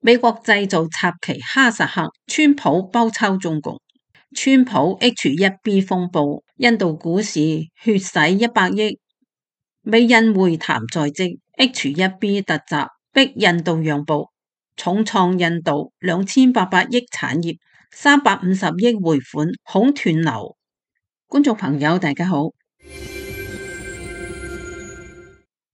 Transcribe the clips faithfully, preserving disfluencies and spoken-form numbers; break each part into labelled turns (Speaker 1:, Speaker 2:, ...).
Speaker 1: 美國製造插旗哈薩克，川普包抄中共。川普 H 一 B 風暴，印度股市血洗一百億。美印會談在即 ，H 一 B 突襲逼印度讓步，重創印度兩千八百億產業，三百五十億匯款恐斷流。觀眾朋友大家好，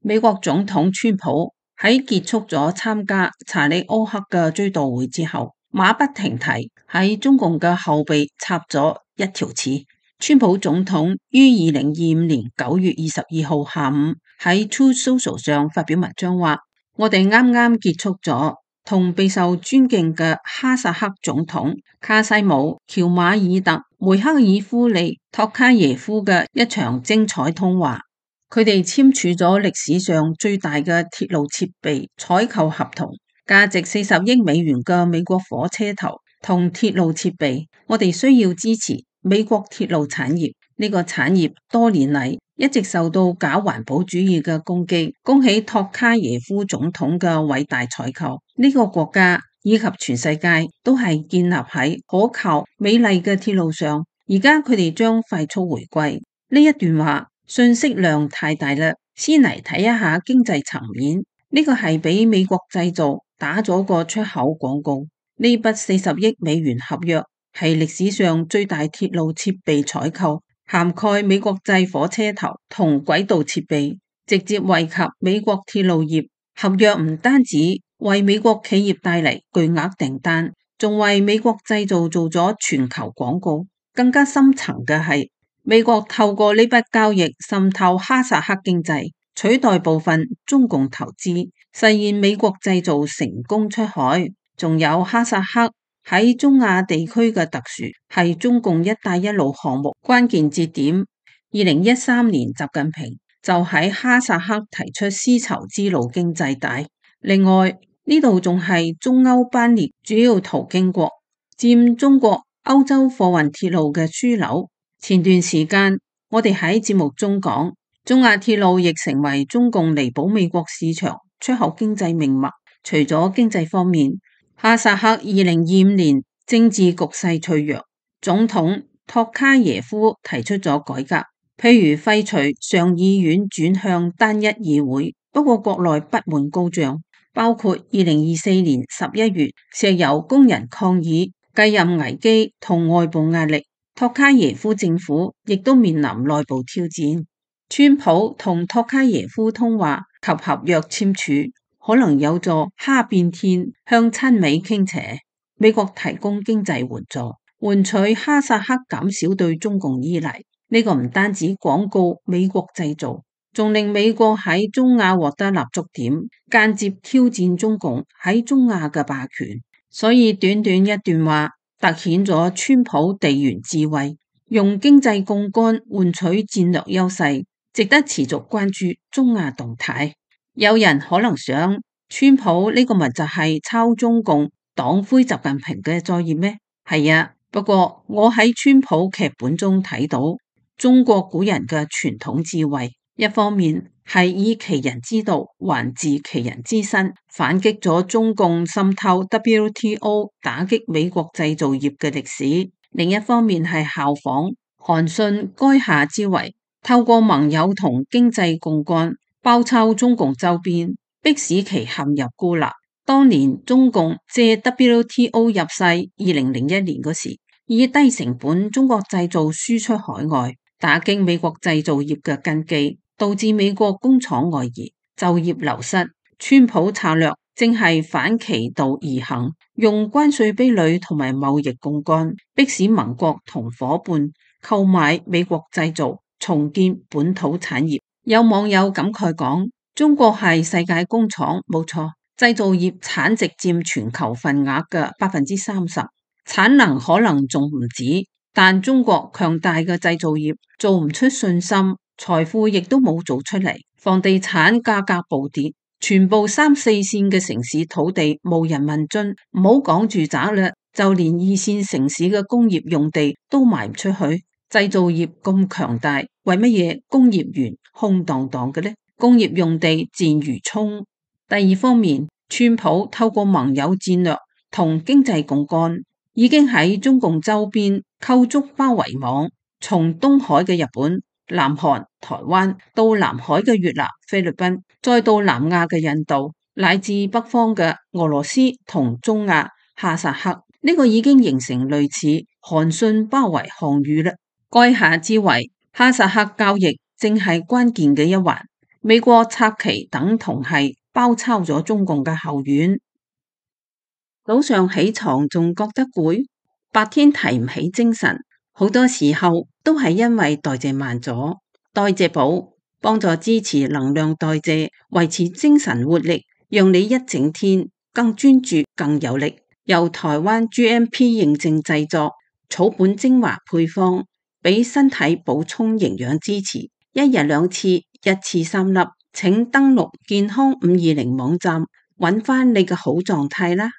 Speaker 1: 美國總統川普喺結束咗參加查理歐克嘅追悼會之後，馬不停蹄喺中共嘅後背插咗一條刺。川普總統於二零二五年九月二十二號下午喺 Truth Social 上發表文章話：我哋啱啱結束咗同備受尊敬嘅哈薩克總統卡西姆喬馬爾特梅克爾夫利托卡耶夫嘅一場精彩通話。佢哋簽署咗歷史上最大嘅鐵路設備採購合同，價值四十億美元嘅美國火車頭同鐵路設備，我哋需要支持美國鐵路產業。呢個產業多年嚟一直受到假環保主義嘅攻擊。恭喜托卡耶夫總統嘅偉大採購，呢個國家以及全世界都係建立喺可靠美麗嘅鐵路上。而家佢哋將快速回歸。呢一段話信息量太大啦，先嚟睇一下經濟層面。呢個係俾美國製造打咗個出口廣告。呢筆四十億美元合約係歷史上最大鐵路設備採購，涵蓋美國製火車頭同軌道設備，直接惠及美國鐵路業。合約唔單止為美國企業帶嚟巨額訂單，仲為美國製造做咗全球廣告。更加深層嘅係，美國透過呢筆交易滲透哈薩克經濟，取代部分中共投資，實現美國製造成功出海。仲有哈薩克喺中亞地區嘅特殊，係中共一帶一路項目關鍵節點。二零一三年習近平就喺哈薩克提出絲綢之路經濟帶。另外呢度仲係中歐班列主要途經國，佔中國歐洲貨運鐵路嘅樞紐。前段時間我哋喺節目中講，中亞鐵路亦成為中共彌補美國市場出口經濟命脈。除咗經濟方面，哈薩克二零二五年政治局勢脆弱，總統托卡耶夫提出咗改革，譬如廢除上議院轉向單一議會。不過國內不滿高漲，包括二零二四年十一月石油工人抗議、繼任危機同外部壓力。托卡耶夫政府亦都面臨內部挑戰。川普同托卡耶夫通話及合約簽署，可能有助哈變天，向親美傾斜。美國提供經濟援助，換取哈薩克減少對中共依賴。呢個唔單止廣告美國製造，仲令美國喺中亞獲得立足點，間接挑戰中共喺中亞嘅霸權。所以短短一段話，凸顯咗川普地緣智慧，用經濟槓桿換取戰略優勢，值得持續關注中亞動態。有人可能想，川普呢個咪就係抄中共黨魁習近平嘅作業咩？係啊，不過我喺川普劇本中睇到中國古人嘅傳統智慧，一方面係以其人之道還治其人之身，反擊咗中共滲透 W T O 打擊美國製造業嘅歷史；另一方面係效仿韓信垓下之圍，透過盟友同經濟槓桿包抄中共周邊，迫使其陷入孤立。當年中共借 W T O 入世，二零零一年嗰時以低成本中國製造輸出海外，打擊美國製造業嘅根基，導致美國工廠外移，就業流失。川普策略正係反其道而行，用關稅壁壘同埋貿易槓桿，迫使盟國同夥伴購買美國製造，重建本土產業。有網友感慨講，中國係世界工廠，冇錯，製造業產值佔全球份額嘅百分之三十，產能可能仲唔止。但中國強大嘅製造業做唔出信心，財富亦都冇做出嚟，房地產價格暴跌，全部三四線嘅城市土地無人問津，唔好講住宅啦，就連二線城市嘅工業用地都賣唔出去。製造業咁強大，為乜嘢工業園空蕩蕩嘅呢？工業用地賤如蔥。第二方面，川普透過盟友戰略同經濟槓桿，已經喺中共周邊構築包圍網，從東海嘅日本、南韓、台灣到南海嘅越南、菲律賓，再到南亞嘅印度，乃至北方嘅俄羅斯同中亞哈薩克，呢個已經形成類似韓信包圍項羽啦。垓下之圍，哈薩克交易正係關鍵嘅一環。美國拆旗等同係包抄咗中共嘅後院。早上起床仲覺得攰，白天提唔起精神，好多時候都係因為代謝慢咗。代謝寶幫助支持能量代謝，維持精神活力，讓你一整天更專注、更有力。由台灣 G M P 認證製作，草本精華配方，俾身體補充營養支持。一日兩次，一次三粒。請登錄健康五二零網站，揾翻你嘅好狀態啦。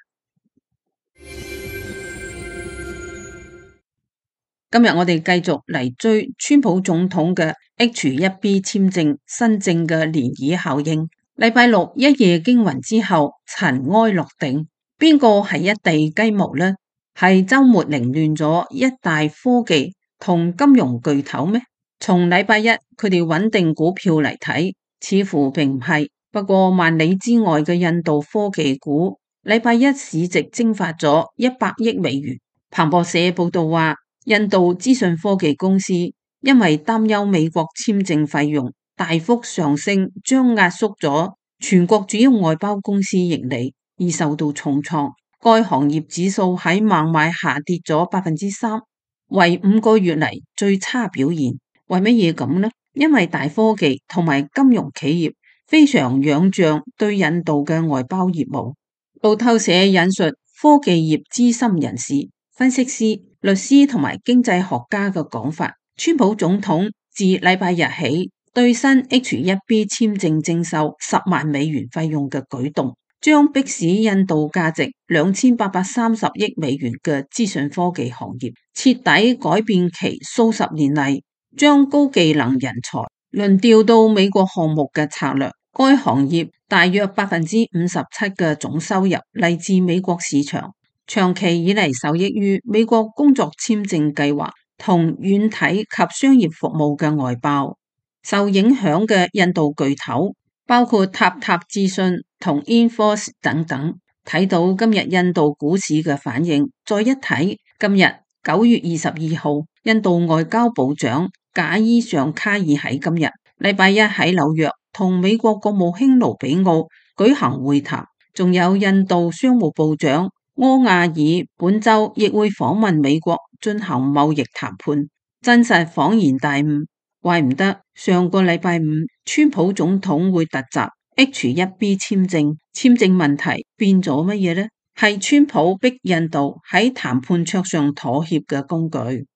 Speaker 1: 今日我哋繼續嚟追川普總統嘅 H 一 B 簽證新政嘅漣漪效應。禮拜六一夜驚魂之後，塵埃落定，邊個係一地雞毛呢？係周末凌亂咗一大科技同金融巨頭咩？從禮拜一佢哋穩定股票嚟睇，似乎並唔係。不過萬里之外嘅印度科技股，禮拜一市值蒸發咗一百億美元。彭博社報道話，印度資訊科技公司因為擔憂美國簽證費用大幅上升，將壓縮咗全國主要外包公司盈利，而受到重創。該行業指數喺孟買下跌咗百分之三，為五個月嚟最差表現。為乜嘢咁呢？因為大科技同埋金融企業非常仰仗對印度嘅外包業務。路透社引述科技業資深人士、分析師、律師同埋經濟學家嘅講法，川普總統自禮拜日起對新 H 一 B 簽證徵收十萬美元費用嘅舉動，將迫使印度價值兩千八百三十億美元嘅資訊科技行業徹底改變其數十年嚟將高技能人才輪調到美國項目嘅策略。該行業大約百分之五十七嘅總收入嚟自美國市場，長期以嚟受益於美國工作簽證計劃同軟體及商業服務嘅外包。受影響嘅印度巨頭包括塔塔資訊同 Infosys 等等。睇到今日印度股市嘅反應，再一睇今日九月二十二號，印度外交部長賈伊尚卡爾喺今日禮拜一喺紐約同美國國務卿盧比奧舉行會談，仲有印度商務部長柯亞爾本周亦會訪問美國進行貿易談判，真實恍然大悟。怪唔得上個禮拜五川普總統會突襲 H 一 B 簽證，簽證問題變咗乜嘢呢？係川普逼印度喺談判桌上妥協嘅工具。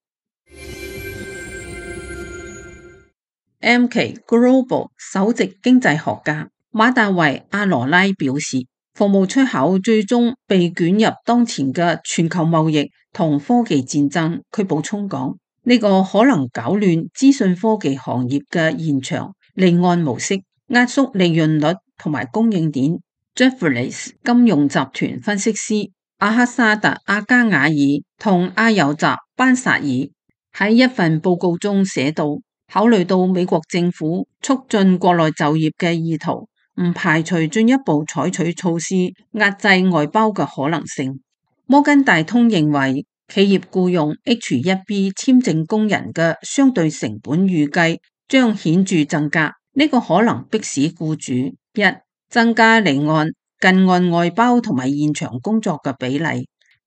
Speaker 1: M K Global 首席經濟學家馬達維阿羅拉表示，服務出口最終被捲入當前嘅全球貿易同科技戰爭。佢補充講，呢個可能搞亂資訊科技行業嘅現場離岸模式，壓縮利潤率同埋供應鏈。Jefferies 金融集團分析師阿克沙特阿加瓦爾同阿尤澤班薩爾喺一份報告中寫道，考慮到美國政府促進國內就業嘅意圖，唔排除進一步採取措施壓制外包嘅可能性。摩根大通認為，企業僱用 H 一 B 簽證工人嘅相對成本預計將顯著增加，呢、這個可能迫使僱主一增加離岸、近岸外包同埋現場工作嘅比例；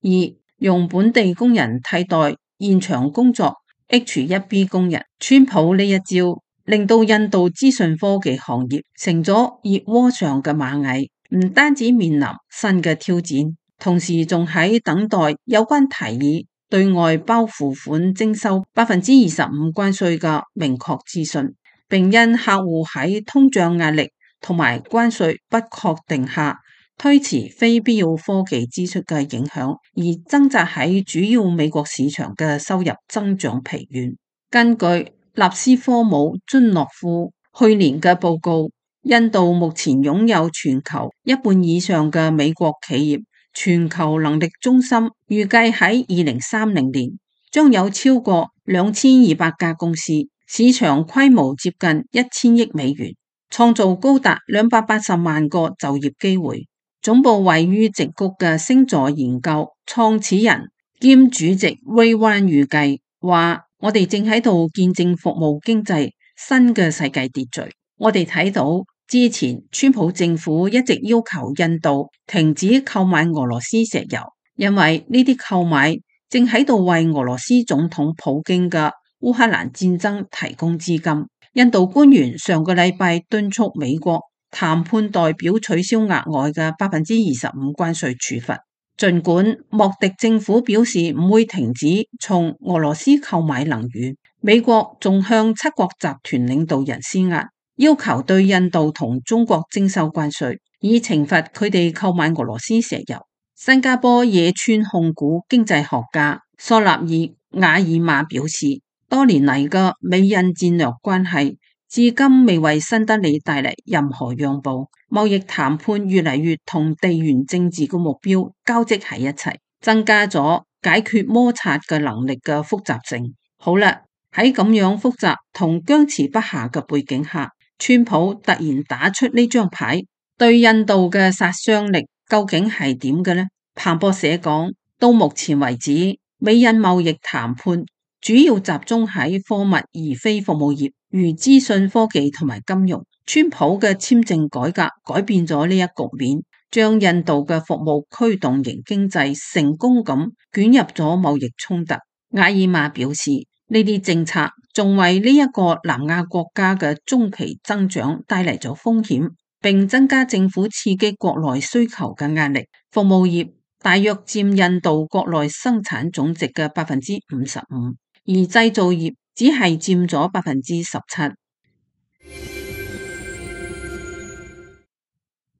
Speaker 1: 二用本地工人替代現場工作 H 一 B 工人。川普呢一招令到印度資訊科技行業成咗熱鍋上嘅螞蟻，唔單止面臨新嘅挑戰，同時仲喺等待有關提議對外包付款徵收百分之二十五關稅嘅明確資訊，並因客戶喺通脹壓力同埋關稅不確定下推遲非必要科技支出嘅影響，而掙扎喺主要美國市場嘅收入增長疲軟。根據納斯科姆尊諾夫去年嘅報告，印度目前擁有全球一半以上嘅美國企業全球能力中心，預計喺二零三零年將有超過兩千二百家公司，市場規模接近一千億美元，創造高達兩百八十萬個就業機會。總部位於矽谷嘅星座研究創始人兼主席 Ray Wan 預計話：我哋正喺度見證服務經濟新嘅世界秩序。我哋睇到之前川普政府一直要求印度停止購買俄羅斯石油，因為呢啲購買正喺度為俄羅斯總統普京嘅烏克蘭戰爭提供資金。印度官員上個禮拜敦促美國談判代表取消額外嘅百分之二十五關稅處罰。儘管莫迪政府表示唔會停止從俄羅斯購買能源，美國仲向七國集團領導人施壓，要求對印度同中國徵收關稅，以懲罰佢哋購買俄羅斯石油。新加坡野村控股經濟學家索納爾瓦爾馬表示，多年嚟嘅美印戰略關係至今未為新德里帶嚟任何讓步，貿易談判越嚟越同地緣政治嘅目標交織喺一齊，增加咗解決摩擦嘅能力嘅複雜性。好啦，喺咁樣複雜同僵持不下嘅背景下，川普突然打出呢張牌，對印度嘅殺傷力究竟係點嘅呢？彭博社講，到目前為止，美印貿易談判主要集中喺貨物而非服務業，如資訊科技同埋金融。川普嘅簽證改革改變咗呢一局面，將印度嘅服務驅動型經濟成功咁捲入咗貿易衝突。瓦爾瑪表示，呢啲政策仲為呢一個南亞國家嘅中期增長帶嚟咗風險，並增加政府刺激國內需求嘅壓力。服務業大約佔印度國內生產總值嘅百分之五十五，而製造業只係佔咗百分之十七。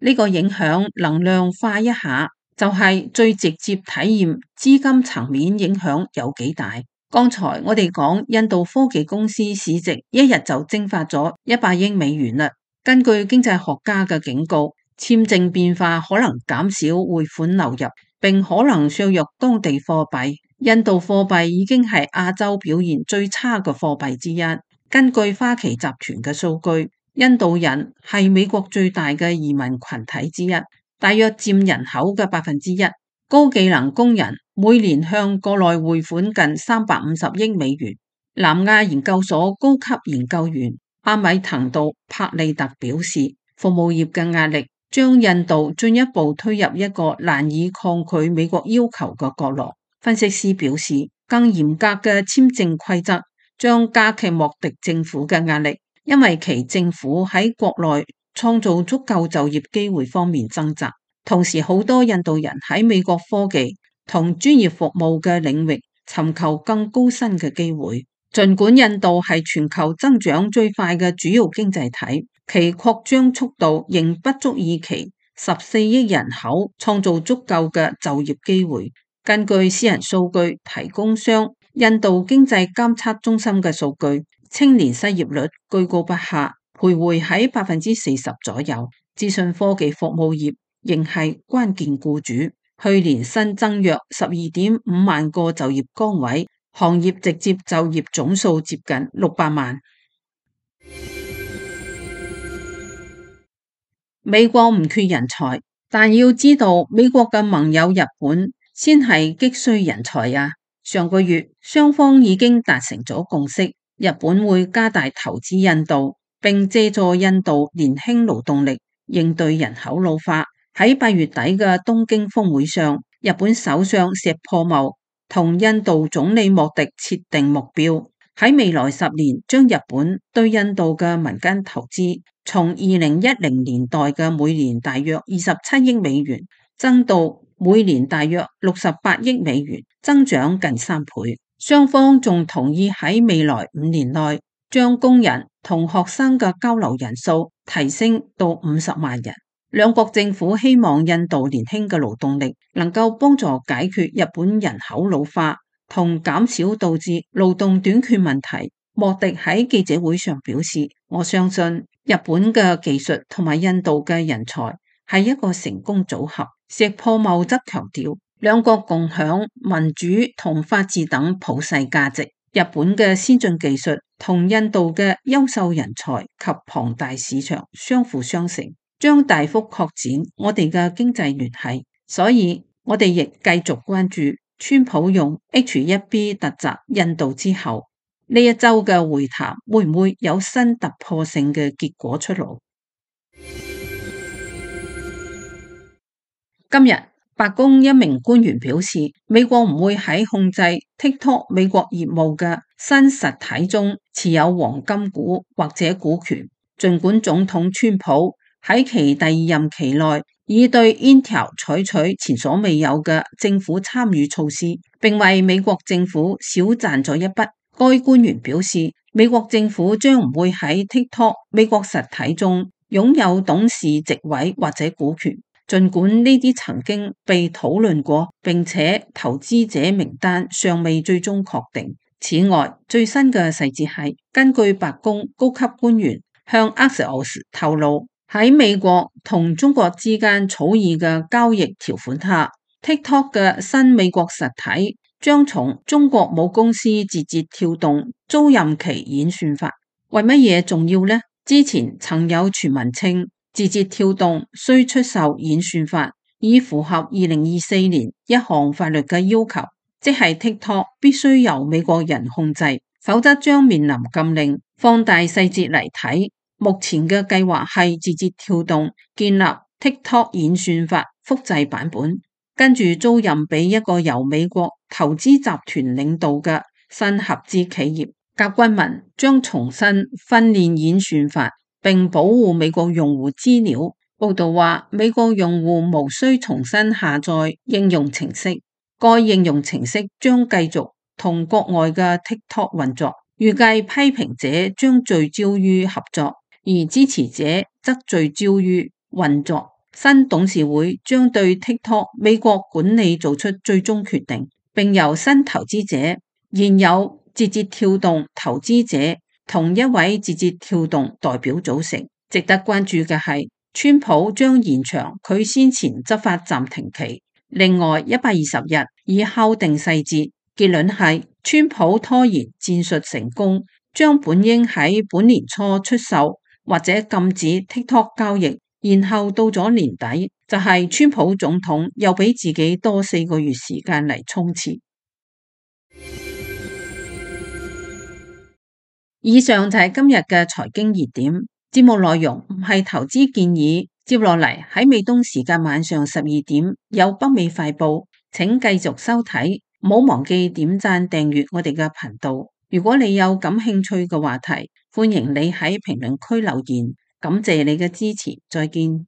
Speaker 1: 呢個影響能量化一下，就係最直接體驗資金層面影響有幾大。剛才我哋講印度科技公司市值一日就蒸發咗一百億美元啦。根據經濟學家嘅警告，簽證變化可能減少匯款流入，並可能削弱當地貨幣。印度貨幣已經係亞洲表現最差嘅貨幣之一。根據花旗集團嘅數據，印度人係美國最大嘅移民群體之一，大約佔人口嘅百分之一。高技能工人每年向國內匯款近三百五十億美元。南亞研究所高級研究員阿米滕杜柏利特表示，服務業嘅壓力將印度進一步推入一個難以抗拒美國要求嘅角落。分析師表示，更嚴格嘅簽證規則將加劇莫迪政府嘅壓力，因為其政府喺國內創造足夠就業機會方面掙扎。同時，好多印度人喺美國科技同專業服務嘅領域尋求更高薪嘅機會。儘管印度係全球增長最快嘅主要經濟體，其擴張速度仍不足以其十四億人口創造足夠嘅就業機會。根據私人數據提供商印度經濟監測中心嘅數據，青年失業率居高不下，徘徊喺百分之四十左右。資訊科技服務業仍係關鍵僱主，去年新增約十二點五萬個就業崗位，行業直接就業總數接近六百萬。美國唔缺人才，但要知道美國嘅盟友日本先係急需人才啊！上個月雙方已經達成咗共識，日本會加大投資印度，並借助印度年輕勞動力應對人口老化。喺八月底嘅東京峰會上，日本首相石破茂同印度總理莫迪設定目標，喺未來十年將日本對印度嘅民間投資從二零一零年代嘅每年大約二十七億美元增到每年大約六十八億美元，增長近三倍。雙方仲同意喺未來五年內將工人同學生嘅交流人數提升到五十萬人。兩國政府希望印度年輕嘅勞動力能夠幫助解決日本人口老化同減少導致勞動短缺問題。莫迪喺記者會上表示，我相信日本嘅技術同埋印度嘅人才係一個成功組合。石破茂則強調，兩國共享民主同法治等普世價值。日本嘅先進技術同印度嘅優秀人才及龐大市場相輔相成，將大幅擴展我哋嘅經濟聯繫。所以我哋亦繼續關注川普用 H 一 B 突襲印度之後，呢一周嘅會談會唔會有新突破性嘅結果出爐？今日白宮一名官員表示，美國唔會喺控制 TikTok 美國業務嘅新實體中持有黃金股或者股權。儘管總統川普喺其第二任期內已對 Intel 採取前所未有嘅政府參與措施，並為美國政府少賺咗一筆。該官員表示，美國政府將唔會喺 TikTok 美國實體中擁有董事席位或者股權。儘管呢啲曾經被討論過，並且投資者名單尚未最終確定。此外，最新嘅細節係根據白宮高級官員向 Axios 透露，喺美國同中國之間草擬嘅交易條款下， TikTok 嘅新美國實體將從中國母公司字節跳動租賃其演算法。為乜嘢重要呢？之前曾有傳聞稱，字節跳動需出售演算法，以符合二零二四年一項法律嘅要求，即係 TikTok 必須由美國人控制，否則將面臨禁令。放大細節嚟睇，目前嘅計劃係字節跳動建立 TikTok 演算法複製版本，跟住租賃俾一個由美國投資集團領導嘅新合資企業。甲骨文將重新訓練演算法，並保護美國用戶資料。報道話，美國用戶無需重新下載應用程式，該應用程式將繼續同國外嘅 TikTok 運作。預計批評者將聚焦於合作，而支持者則聚焦於運作。新董事會將對 TikTok 美國管理做出最終決定，並由新投資者、現有字節跳動投資者同一位字節跳動代表組成。值得關注嘅係，川普將延長佢先前執法暫停期，另外一百二十日以敲定細節。結論係，川普拖延戰術成功，將本應喺本年初出售或者禁止 TikTok 交易，然後到咗年底，就係、是、川普總統又俾自己多四個月時間嚟衝刺。以上就係今日嘅財經熱點，節目內容唔係投資建議。接落嚟喺美東時間晚上十二點有北美快報，請繼續收睇。唔好忘記點讚訂閱我哋嘅頻道。如果你有感興趣嘅話題，歡迎你喺評論區留言。感謝你嘅支持，再見。